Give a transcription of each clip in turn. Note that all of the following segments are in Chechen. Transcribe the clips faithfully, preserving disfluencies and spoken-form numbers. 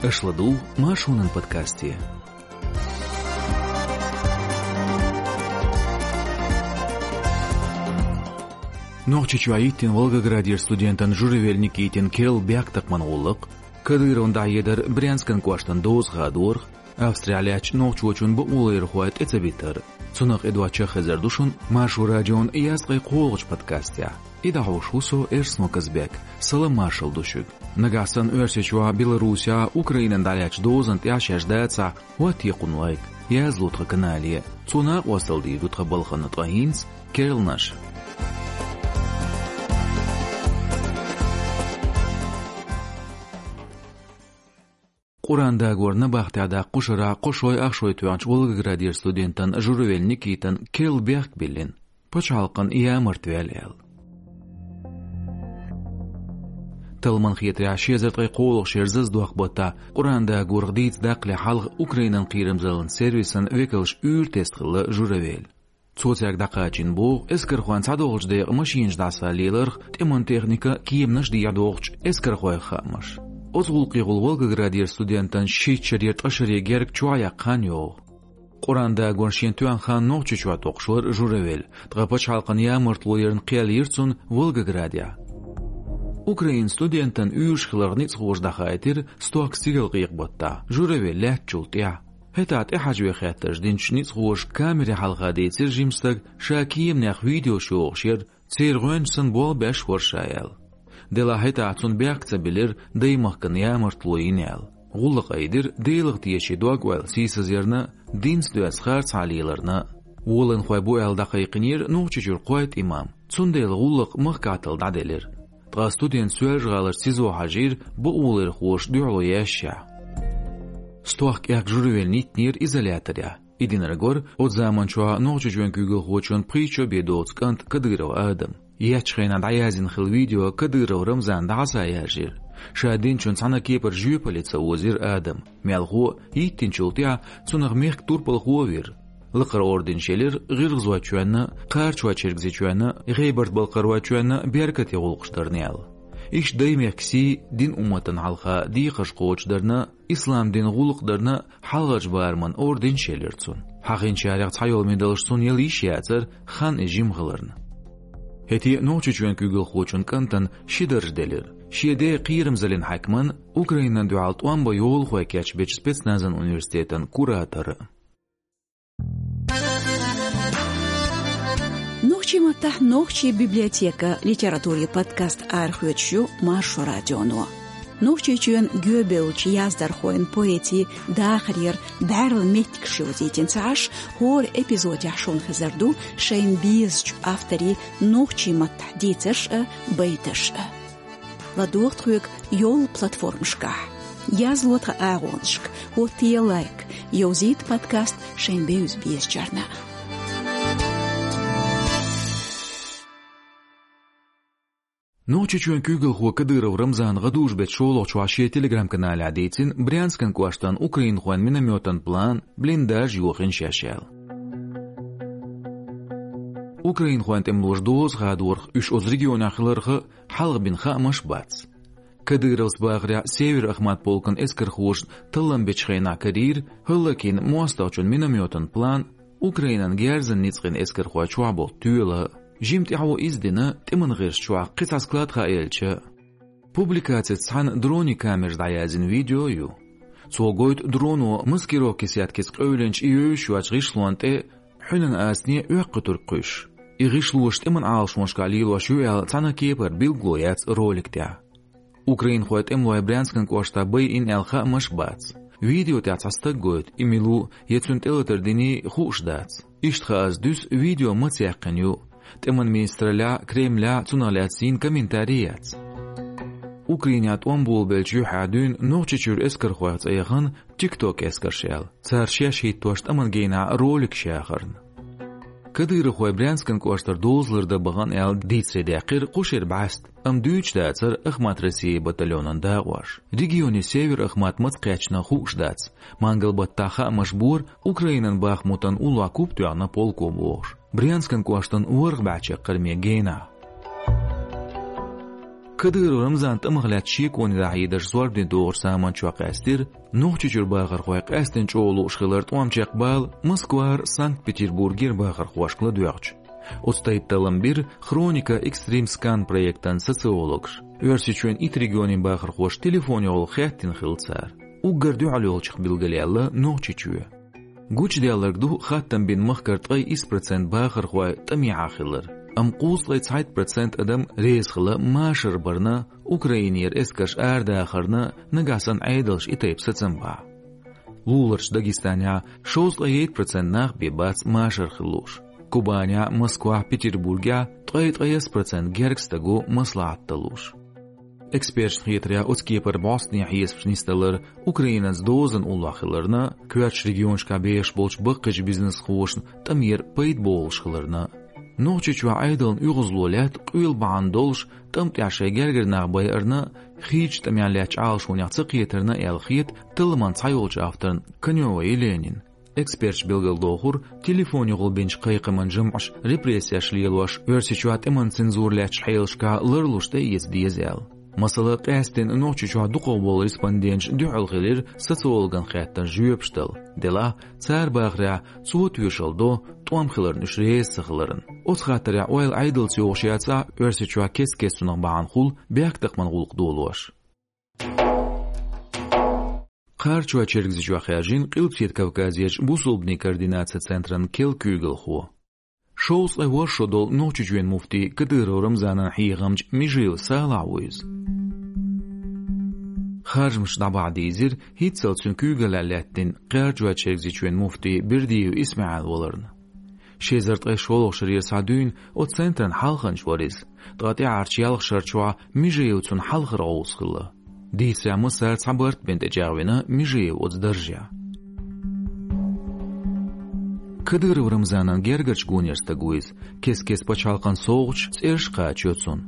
Аша ладугӀу Маршонан подкасте. Нохчийчохь йиттина Волгоградера студентан Журавель Никитин керла бехктакхаман гӀуллакх, Кадыровна дӀахьедар Брянскан кӀоштан доза хадорах, Австрехь лаьттачу нохчочун бакъоларъярхой тӀе ца битар. Цунах тӀедоьдуш хезар ду шуна Маршо радион ялх ткъе кхоалгӀачу подкастехь. И дӀахьош ву со, Эрсмо Казбек. Салам-маршалла ду шуьга. Нагахь санна Оьрсийчохь, Беларусехь Украинан дӀалаьцначу дозанна тӀехь шаьш дацахь, хӀоттае кхунна лайк, язло тхан канале. Цо накъосталла дийр ду тхан балхана, ткъа хӀинца керланаш. Къуръан дагор набахтехь даккха кху шарахь кхо шой ах шой тоьхначу Волгоградера студентан Журавель Никитан керла бехк биллина, пачхьалкхан ямарта ваьлла аьлла. Талламан хетарехь, ши эзар ткъе кхоалгӀачу шеран зазадоккху баттахь Къуръан дагорах дийца даккхале хьалха Украинан кхерамзаллин сервисан векалша уьйр-тесна хилла Журавель. Цо цаьрга дӀакхачийна боху эскархойн цхьадолчу декъан машинаш дӀасалла леларх, тӀеман техника, кеманаш дехьадохучу эскархойх хаамаш. Оцу гӀуллакхехула Волгоградера студентан шийтта шарера ткъа шаре герга чохь яккха хан йогӀу. Къуръан дагорна шена тоьхна хан Нохчийчохь токхуш вара Журавель, ткъа пачхьалкхан ямартло ярна кхел йира цунна Волгоградехь. Украинан студентан уьйраш хиларх ницкъахоша дӀахаийтира стохка стигалкъекъа баттахь, Журавель лаьттачул тӀаьхьа. ХӀетахь тӀехьажаве хаттарш динчу ницкъахоша камери хьалха дийцира жима стаг, ша кеманех видеош йохуш яра, церан гӀоьнча санна болх беш вара ша аьлла. Делахь хӀетахь цунна бехк ца биллира даймахкана ямартло йина аьлла. ГӀуллакх айдира Делах теший дог-ойла сийсазъярна, динца доьзна харцахьа леларна. Волаванхой бу аьлла дӀакхайкхинера Нохчийчуьра кхойтта имам. Цундела гӀуллакх махкахь талла дӀаделира. Ткъа студент Соьлжа-ГӀаларчу СИЗО хьажийра бакъоларъярхоша дуьхьало яьшшехь. Стохка кӀаьнк Журавельна йиттинера изоляторехь. И динарг вара оцу заманчохь Нохчийчоьнан куьйгалхочун пхийтта шо бен доцу кӀант Кадыров Адам. Еттачу хенахь дӀаязйина хилла видео Кадыров Рамзана дӀасаяьржира. Ша динчун цхьана а кепара жоьпалле ца озийра Адам. Мелхо а, йиттинчул тӀаьхьа цунах мехкан турпалхо а вира. Лакхара орденаш елира ГӀиргӀазойчоьнна, Кхарачойчергазийчоьнна, ГӀебарта-Балкхаройчоьнна беркате гӀуллакхаш дарна аьлла. Иштта даймехкан сий, дин-умматана хьалха декхарш кхочушдарна, ислам динан гӀуллакх дарна хьалхарчу бараман орденаш елира цунна. Хьахийначарех цхьайолу медалш цунна яла йиш яцара, хан иза жима хиларна. ХӀетте а Нохчийчоьнан куьйгалхочун кӀантана ши дарж делира: шен ден кхерамзаллин хьаькаман, Украинан дуьхьал тӀом бан йолахой кечбечу спецназан университетан куратор. Нохчийн маттахь «Нохчийн библиотека» литературин подкаст арахоьцуш ю Маршо радионо. Нохчийчоьнан гӀоьбевллачу яздархойн, поэтийн дахарера бӀаьрла меттигаш йовзийтина ца Ӏаш, хӀора эпизодехь шуна хезар ду шайна безачу авторийн нохчийн маттахь дийцарш а, байташ а. ЛадогӀа тхоьга йолу платформашкахь. Язло тхан агӀонашка, хӀоттае лайк, йовзийта подкаст шайн бевза безачарна. Нохчийчоьнан куьйгалхо Кадыров Рамзана гӀадужу-беттан шолгӀачохь шен Telegram-каналехь дийцина Брянскан кӀоштан украинхойн миномётан план, блиндаж йохийна шаьш аьлла. Украинхойн тӀемалоша доза хадорах, уьш оцу регионехь хиларх а хьалха бина хаамаш бац. Кадыровс бахарехь, Север-Ахмат полкан эскархоша таллам бечу хенахь карийра хӀаллакйина мостагӀчун миномётан план, Украинан герзан ницкъийн эскархой чохь болу тоьла. Жимма тӀаьхьо иза дина тӀеман гӀирс чохь кхин цхьа склад хааелча. Публикацица цхьаьна дронийн камераш дӀаяздина видео а ю. Цо гойту дроно маскировкин сеткица къевлинчу и евзаш йоцу гӀишлонна тӀе хьуьнан астане оьккхуьйтург кхуьйсуш. И гӀишлоша тӀеман Ӏалашонашкахь лелош ю аьлла цхьана а кепара билгало яц ролик тӀехь. Украинхойн тӀемалой Брянскан кӀоштахь байина аьлла хаамаш бац. Видео тӀехь цхьа стаг гойту, и мила ву я цуьнан тӀелатар диний хууш дац. Иштта хаа аса дуьсу, видео маца яьккхина ю. ТӀеман министраллехь а, Кремлехь а цунах лаьцна йина комментарий яц. Украинехь тӀом болабеллачу юьххьехь дуьйна Нохчийчуьра эскархойх цӀе яхана TikTok эскарш аьлла, цара шаьш хӀиттош тӀаман генахь роликаш яхарна. Кадыровхой Брянскан кӀоштара дозалла дан бахана аьлла дийцаре даьккхира кху шеран бӀаьста, амма дуьйцуш дацара Ахмат-Россия батальонан дакъош. Регионе Север-Ахмат маца кхаьчна хууш дац. Мангал-баттахь хаамаш бора, Украинан Бахмутан уллохь куп тоьхна полко бохуш, Брянскан кӀоштан ворхӀ бӀе чаккхарме генахь. Кадыров Рамзан тӀамах лаьцна шеконе дӀахьедарш зорбане догӀучу заманчохь къаьстира, Нохчийчуьра бахархой къаьсттина чӀогӀа лууш хилар тӀом чекхбала Москвара, Санкт-Петербургера бахархошка ладоьгӀча. Оцу тайпа таллам бира «Хроника Экстрим Скан» проектан социологаша. Оьрсийчоьнан итт регионийн бахархоша телефонехула хаьттина хилла цара. Уггар дуьхьал йолчух билгалъяьлла Нохчийчоь. Гучудаьлларг ду хаттам бина махкара ткъе исс процент бахархой тӀамехьа хилар, амма кхузткъе цхьайтта процент адам реза хилла машар барна, Украинера эскарш арадахарна, нагахь санна Ӏедалша и тайпа сацам бахьа. Луларчу Дагестанехь шовзткъе итт процент нах бен бац машар хила лууш. Кубанехь, Москвахь, Петербургехь ткъе ткъе исс процент герга стаг ву маслахьат дан лууш. Эксперташна хетарехь, оцу кепара бӀостанехьа хьесапаш нисдалар Украинца дозанна уллохь хиларна, коьртачу регионашкахь бехаш болчу баккхийчу бизнесхошна тӀамера пайда бовлуш хиларна. Нохчийчохь Ӏедална оьгӀазло лаьтта къоьлла бахьана долуш, тӀам тӀехь шайн гергара нах байарна, хийцачу тӀамехь лаьттачу Ӏалашонех ца кхетарна аьлла хета талламан цхьайолчу авторна Конёва Еленина. Эксперташа билгалдохура, телефонехула бинчу кхайкхаман жамӀаша репрессеш лелош, Оьрсийчохь тӀеман цензура лаьттачу хьелашкахь ларлуш тӀеэца деза аьлла. Масала, къаьсттина Нохчийчохь дукхахболу респонденташа дуьхьал хилира социологан хаттарна жоьпаш дала. Делахь, цара бахарехь, цо тоьшалла до, тӀом хиларна уьш реза ца хиларна. Оцу хаттарехь ойла Ӏедалца йогӀуш яцахь, Оьрсийчохь кест-кеста цунах бахьана хуьлу бехктакхаман гӀуллакх долош. Кхарачой-Чергазийчохь хаьржина Къилбаседа Кавказерчу бусулбанийн координацин центран керла куьйгалхо. Шовзткъе ворхӀ шо долу Нохчийчоьнан муфти Кадыров Рамзанан хьехамча Межиев Салахь ву иза. Харжамаш дӀабахьа дийзира хӀинццалц цуьнан куьйгаллехь лаьттина Кхарачой-Чергазийчоьнан муфти Бердиев ИсмаӀил валарна. Ши эзар ткъе шолгӀачу шарера схьа дуьйна оцу центран хьалханча вара иза, ткъа тӀаьхьарчу ялх шарчохь а Межиев цунна хьалхара гӀовс хилла. Дийцарехь, массара а цхьа барт бен тӀечӀагӀвина Межиев оцу даржехь. Кадыров Рамзанан гергарчу гонера стаг ву иза, кест-кеста пачхьалкхан совгӀаташ, цӀераш кхачайо цунна.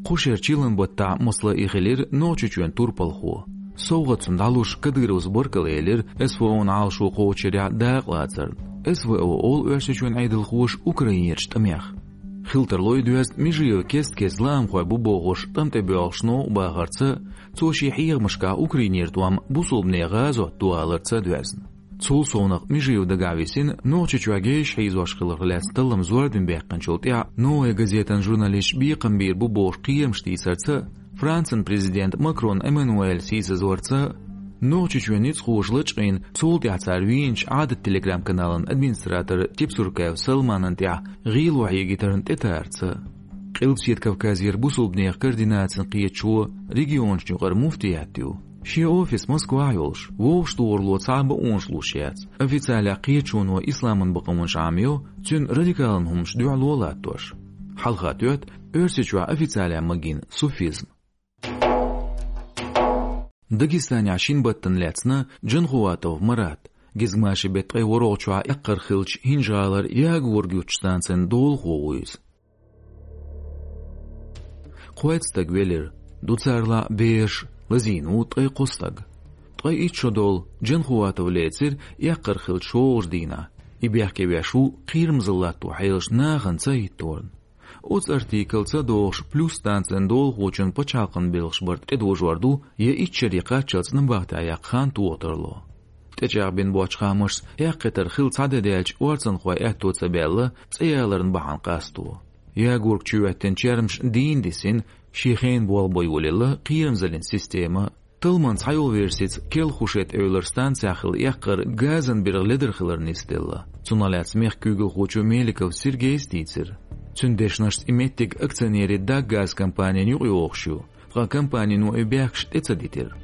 Кху шеран чиллан баттахь, масала, и хилира Нохчийчоьнан турпалхо. СовгӀат цунна дӀалуш, Кадыровс баркалла элира СВО-н Ӏалашо кхочушъярехь дакъалацарна. СВО олу Оьрсийчоьнан Ӏедалхоша Украинерчу тӀамех. Хила тарло и доьзна Межиев кест-кеста лаамхой бу бохуш тӀам тӀе боьлхуш новкъа бахарца, цо шен хьехамашкахь Украинера тӀом бусулбанийн гӀазот ду аларца доьзна. Цул совнаха Межиев дагахь висина Нохчийчохь гейша хьийзош хиларх лаьцна таллам зорбане баьккхинчул тӀаьхьа, «Новая газетан» журналисташ бекхам бийр бу бохуш кхерамаш тийсарца, Францин президент Макрон Эммануэля сийсазварца, Нохчийчоьнан ницкъахоша лачкъийна, цул тӀаьхьа цара вийначу Ӏадат Telegram-каналан администратор Тепсуркаев Салманан тӀехь гӀело хьегийтарна тӀетарца. Къилбаседа Кавказера бусулбанех координацина кхеташо регионашна юкъара муфтият ю. Шен офис Москвахь йолуш, вовшахтохаралло цхьа а бакъонаш луш яц. Официалехь кхеташоно исламан бакъонаш Ӏамайо, цуьнан радикалан хӀуманаш дуьхьало латтош. Хьалха тоьтту Оьрсийчохь официалехь магийна суфизм. Дагестанехь шина баттана лаьцна Джанхуватов Марат, гезгмашин беттан ткъе ворхӀалгӀачохь эккхар хиллачу ХӀинжа-ГӀалара ягорг юттучу станцин долахо ву иза. Кхойтта стаг велира, ду царалахь бераш, лазийна ву ткъе кхо стаг. Ткъе итт шо долу Джанхуватов лецира эккхар хиллачу шолгӀачу дийнахь. И бехке веш ву кхерамзалла латто хьелаш нахана ца хӀитторна. Оцу артиклаца догӀуш, плюс станцин долахочун пачхьалкхан белхаш барт тӀедожор ду, я итт шаре кхаччалц набахтехь яккха хан тоха тарло. ТӀечӀагӀбина боцчу хаамашца, эккхийтар хилла цхьа де даьлча, орцанхойн аьтто ца баьлла, цӀе яларна бахьана къасто. Ягорг чу хӀоьттина чермаш дийна дисина, шен хенан болх бан йолаелла кхерамзаллин система. Талламан цхьайолу версица, Керла-Хушет эвлара станцехь хилла эккхар газан биргӀа ледара хиларна нисделла. Цунах лаьцна мехкан куьйгалхочо Меликов Сергейс дийцира. Цуьнан дешнашца, и меттиг акционерийн Даггаз компанина юкъайогӀуш ю, ткъа компанино и бехкаш тӀе ца дитира.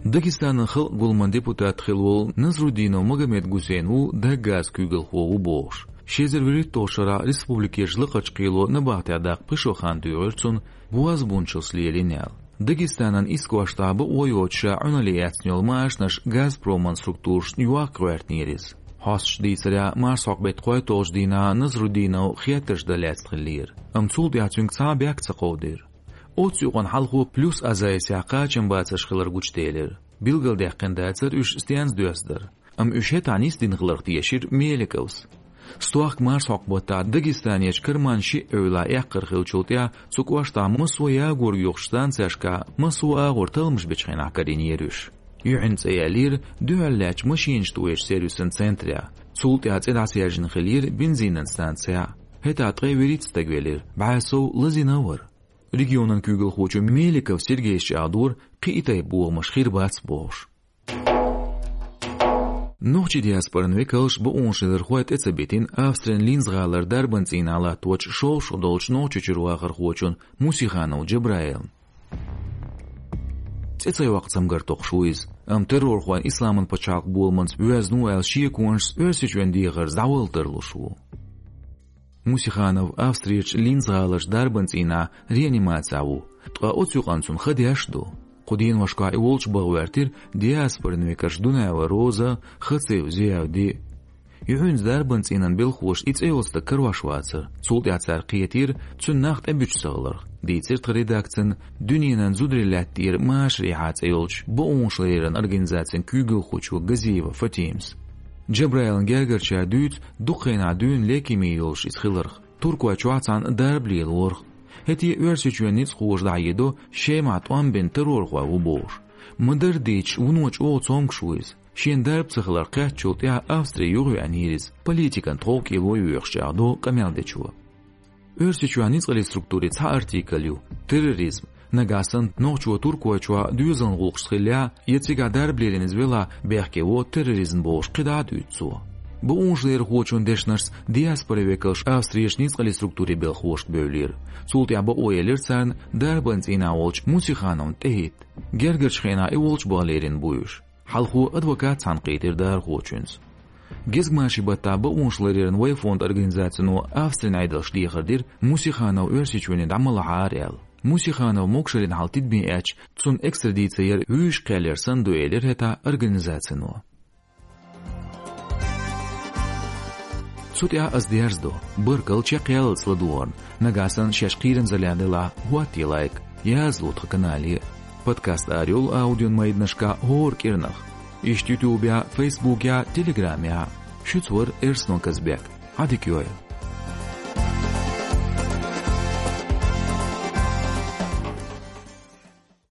Дагестанан халкъан гуламан депутат хилла волу Назрудинов Магомед-Гусейн ву Даггазан куьйгалхо ву бохуш. Ши эзар вуьрхӀитталгӀачу шарахь республикерчу лакхарчу кхело набахтехь даккха пхи шо хан туьйхира цунна, бозбунчаллица лелийна аьлла. Дагестанан исс кӀоштахь бакъо йоцуш, ша Ӏуналле эцна йолу машанаш Газпроман структурашна йохка гӀоьртинера иза. Хьосташа дийцарехь, марсхьокху беттан кхойтталгӀачу дийнахь Назрудинов хеттарш дан лаьцна хиллера, амма цул тӀаьхьа цуьнга цхьа а бехк ца кховдийра. Оццу юкъана хьалхо Плюс Азайсехь кхачам бацарш хилар гучуделира. Билгалдаьккхина дацара, уьш стенца доьзна дара. Амма уьш хӀетахь нисдина хиларх тешира Меликовс. Стохка марсхьокху баттахь Дагестанерчу Карман шиъ эвлахь эккхар хиллачул тӀаьхьа цу кӀоштахь массо а ягор йохучу станцешкахь массо а агӀор талламаш бечу хенахь карийнера уьш. Юьхьанца яьллера дуьхьал лаьттачу машинаш тӀоьхучу сервисан центрехь. Цул тӀаьхьа цӀе дӀасаьржина хиллера бензинан станцехь. ХӀетахь ткъе вуьрхӀитта стаг велира, бӀе сов лазийна а вара. Регионан куьйгалхочо Меликов Сергейс чӀагӀдора, кхин а тайпа бохамаш хир бац бохуш. Нохчийн диаспоран векалш, бакъонашларъярхой тӀе ца битина Австрин Линц-гӀалара дарбан цӀийнахь латточу шовзткъа долчу нохчийн чуьра вахархочун Мусиханов Джабраилан. ЦӀе ца йоккху цамгар токхуш ву иза, амма террорхойн Исламан пачхьалкх боламца воьзна ву аьлла шеконашца Оьрсийчоьнан дехарца дӀавала тарлуш ву. Мусиханов Австрерчу Линц-гӀаларчу дарбан цӀийнахь реанимацехь ву, ткъа оцу юкъана цунна ха деш а ду. Кху деношкахь и волчу баха гӀоьртира диаспоран векалш Дунаева Роза, Хацив Зиявди. Юьхьанца дарбан цӀийнан белхахоша и цӀе йолу стаг карош вацара, цул тӀаьхьа цара кхетийра цуьнан нах тӀебуьтуш ца хиларх, дийцира тхан редакцина дуьненан зударийн лаьтта тӀера машарехьа цӀе йолчу бакъонашларъяран организацин куьйгалхочо Газиева Фатимас. Джабраилан гергарчара дуьйцу дукха хенахь дуьйна лейкеми йолуш иза хиларх, Туркойчохь цхьаьна дарба лелорах. ХӀетте а Оьрсийчоьнан ницкъахоша дӀахьедо, Шемахь тӀом бина террорхой ву бохуш. Ма-дарра дийцича, вуно чӀогӀа цомгуш ву иза. Шена дарба ца хилар кхеттачул тӀаьхьа Австри юхавеанера иза, политикан тховкӀело а йоьхуш, чӀагӀдо къамел дечо. Оьрсийчоьнан ницкъаллин структурийн цхьа артикль ю: терроризм. Нагахь санна нохчо Туркойчохь доьзалан гӀуллакхашца хиллехь, я цигахь дарба лелийна иза велахь, бехке во терроризм бохуш кхидӀа а дуьйцу цо. Бакъонашларъярхочун дешнашца, диаспоран векалш Австрерчу ницкъаллин структурийн белхахошка бевлира. Цул тӀаьхьа бакъо елира царна дарбан цӀийнахь волчу Мусихановна тӀехӀитта. Гергарчу хенахь и волчу баха лерина бу уьш. Хьалхо адвокат цхьаьна кхийтира дарахочуьнца. Гезгмашин баттахь бакъонашларъяран «Вай» фондан организацино Австрин Ӏедалшка дехар дира, Мусиханов Оьрсийчоьне дӀа ма лахьара аьлла. Мусиханов могушаллина хьал тидаме эцча, цунна экстрадици яр вуьйш кхел яр санна ду, элира хӀетахь организацино. Цу тӀехь ас дерзадо. Баркалла чекхъяллалц ладогӀарна. Нагахь санна шаьш кхерамзаллехь делахь, хӀоттае лайк, язло тхан канале. Подкаст арайолу аудиомайданашкахь хӀора кӀирнах. Иштта ютубехь, фейсбукехь, телеграмехь. Шуьца вара Эрсно Казбек. Ӏадика йойла.